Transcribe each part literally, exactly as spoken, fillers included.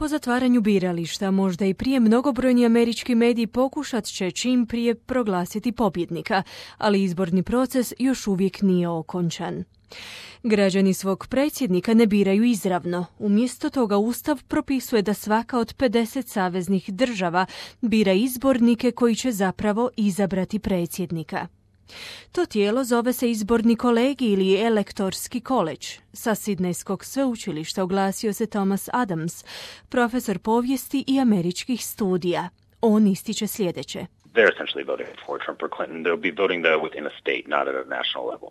Po zatvaranju birališta, možda i prije, mnogobrojni američki mediji pokušat će čim prije proglasiti pobjednika, ali izborni proces još uvijek nije okončan. Građani svog predsjednika ne biraju izravno. Umjesto toga Ustav propisuje da svaka od pedeset saveznih država bira izbornike koji će zapravo izabrati predsjednika. To tijelo zove se izborni kolegij ili elektorski koledž. Sa Sidnejskog sveučilišta oglasio se Thomas Adams, profesor povijesti i američkih studija. On ističe sljedeće. They're essentially voting for Trump or Clinton. They'll be voting though within a state, not at a national level.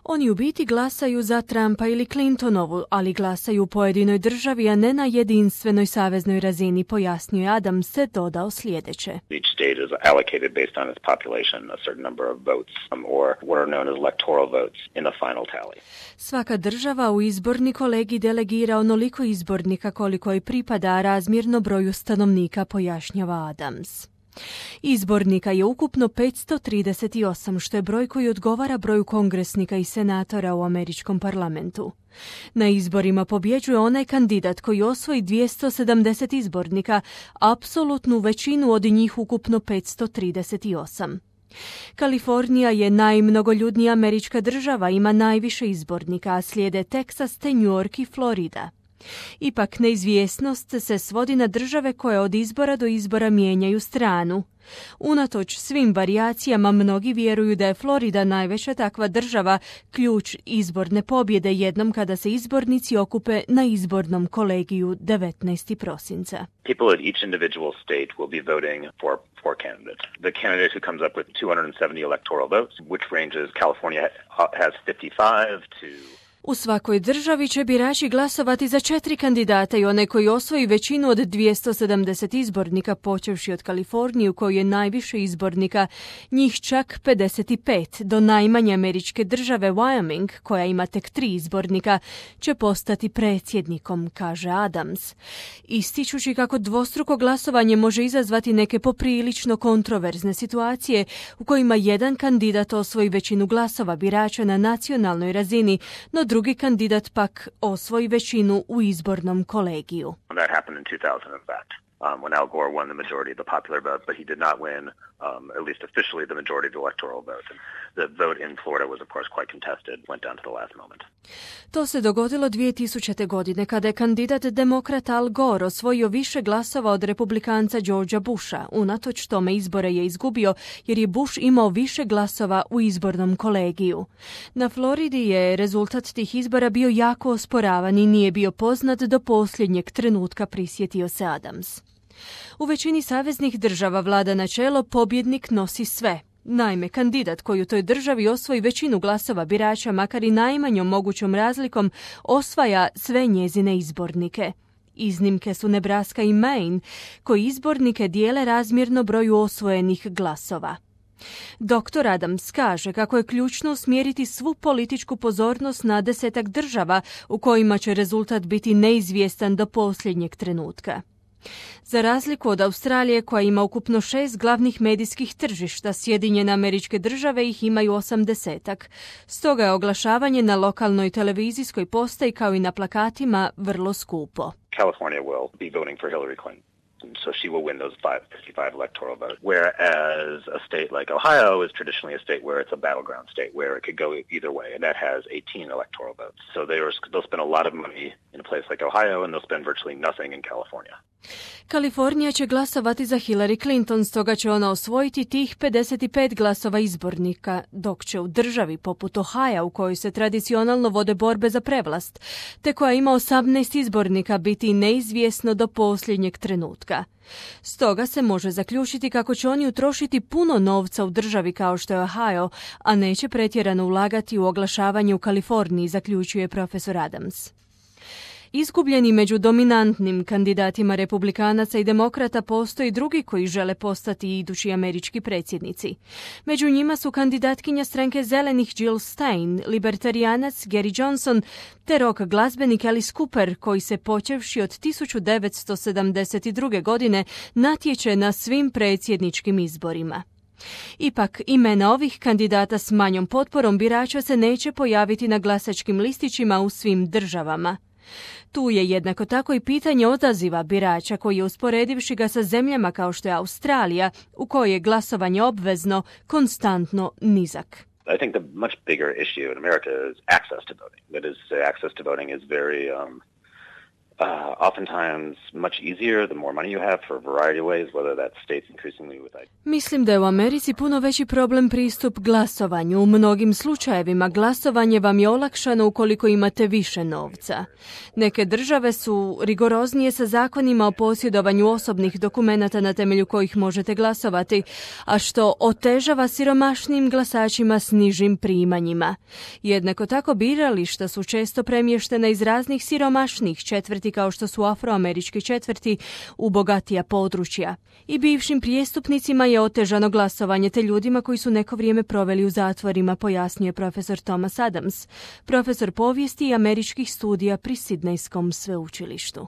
Oni u biti glasaju za Trumpa ili Clintonovu, ali glasaju u pojedinoj državi, a ne na jedinstvenoj saveznoj razini, pojasnio je Adams, se dodao sljedeće. Each state is allocated based on its population a certain number of votes, um, or what are known as electoral votes in the final tally. Svaka država u izborni kolegij delegira onoliko izbornika koliko i pripada razmjerno broju stanovnika, pojašnjava Adams. Izbornika je ukupno petsto trideset osam, što je broj koji odgovara broju kongresnika i senatora u američkom parlamentu. Na izborima pobjeđuje onaj kandidat koji osvoji dvjesto sedamdeset izbornika, apsolutnu većinu od njih ukupno petsto trideset osam. Kalifornija je najmnogoljudnija američka država, ima najviše izbornika, a slijede Teksas te New York i Florida. Ipak neizvjesnost se svodi na države koje od izbora do izbora mijenjaju stranu. Unatoč svim varijacijama, mnogi vjeruju da je Florida najveća takva država, ključ izborne pobjede jednom kada se izbornici okupe na izbornom kolegiju devetnaestog prosinca. People at each individual state will be voting for four candidates. The candidate who comes up with two hundred seventy electoral votes, which ranges California has fifty-five to U svakoj državi će birači glasovati za četiri kandidata i onaj koji osvoji većinu od dvjesto sedamdeset izbornika, počevši od Kalifornije u kojoj je najviše izbornika, njih čak pedeset pet, do najmanje američke države Wyoming, koja ima tek tri izbornika, će postati predsjednikom, kaže Adams. Ističući kako dvostruko glasovanje može izazvati neke poprilično kontroverzne situacije u kojima jedan kandidat osvoji većinu glasova birača na nacionalnoj razini, no drugi kandidat pak osvoji većinu u izbornom kolegiju. That happened in two thousand, in fact, um, when Al Gore won the majority of the popular vote, but he did not win, um, at least officially, the majority of the electoral vote. And the vote in Florida was, of course, quite contested, went down to the last moment. To se dogodilo dvije tisućite. godine kada je kandidat demokrata Al Gore osvojio više glasova od republikanca Georgea Busha. Unatoč tome izbore je izgubio jer je Bush imao više glasova u izbornom kolegiju. Na Floridi je rezultat tih izbora bio jako osporavan i nije bio poznat do posljednjeg trenutka, prisjetio se Adams. U većini saveznih država vlada načelo pobjednik nosi sve. Naime, kandidat koji u toj državi osvoji većinu glasova birača, makar i najmanjom mogućom razlikom, osvaja sve njezine izbornike. Iznimke su Nebraska i Maine, koji izbornike dijele razmjerno broju osvojenih glasova. doktor Adams kaže kako je ključno usmjeriti svu političku pozornost na desetak država u kojima će rezultat biti neizvjestan do posljednjeg trenutka. Za razliku od Australije, koja ima ukupno šest glavnih medijskih tržišta, Sjedinjene Američke Države ih imaju osamdesetak. Stoga je oglašavanje na lokalnoj televizijskoj postaji kao i na plakatima vrlo skupo. California will be voting for Hillary Clinton. So she will win those five, fifty-five electoral votes. Whereas a state like Ohio is traditionally a state where it's a battleground state, where it could go either way, and that has eighteen electoral votes. So they'll spend a lot of money in a place like Ohio, and they'll spend virtually nothing in California. Kalifornija će glasovati za Hillary Clinton, stoga će ona osvojiti tih pedeset pet glasova izbornika, dok će u državi poput Ohio, u kojoj se tradicionalno vode borbe za prevlast, te koja ima osamnaest izbornika, biti neizvjesno do posljednjeg trenutka. Stoga se može zaključiti kako će oni utrošiti puno novca u državi kao što je Ohio, a neće pretjerano ulagati u oglašavanje u Kaliforniji, zaključuje profesor Adams. Izgubljeni među dominantnim kandidatima republikanaca i demokrata postoji drugi koji žele postati idući američki predsjednici. Među njima su kandidatkinja stranke zelenih Jill Stein, libertarijanac Gary Johnson te rock glazbenik Alice Cooper, koji se počevši od tisuću devetsto sedamdeset druge. godine natječe na svim predsjedničkim izborima. Ipak, imena ovih kandidata s manjom potporom birača se neće pojaviti na glasačkim listićima u svim državama. Tu je jednako tako i pitanje odaziva birača koji je, usporedivši ga sa zemljama kao što je Australija, u kojoj je glasovanje obvezno, konstantno nizak. I think the much bigger issue in America is access to voting. That is, access to voting is very um, uh, oftentimes much easier the more money you have for a variety of ways, whether that's states increasingly with I D. Mislim da je u Americi puno veći problem pristup glasovanju. U mnogim slučajevima glasovanje vam je olakšano ukoliko imate više novca. Neke države su rigoroznije sa zakonima o posjedovanju osobnih dokumenata na temelju kojih možete glasovati, a što otežava siromašnim glasačima s nižim primanjima. Jednako tako birališta su često premještena iz raznih siromašnih četvrti kao što su afroamerički četvrti u bogatija područja. I bivšim prijestupnicima je otežano glasovanje te ljudima koji su neko vrijeme proveli u zatvorima, pojasnio profesor Thomas Adams, profesor povijesti i američkih studija pri Sidnejskom sveučilištu.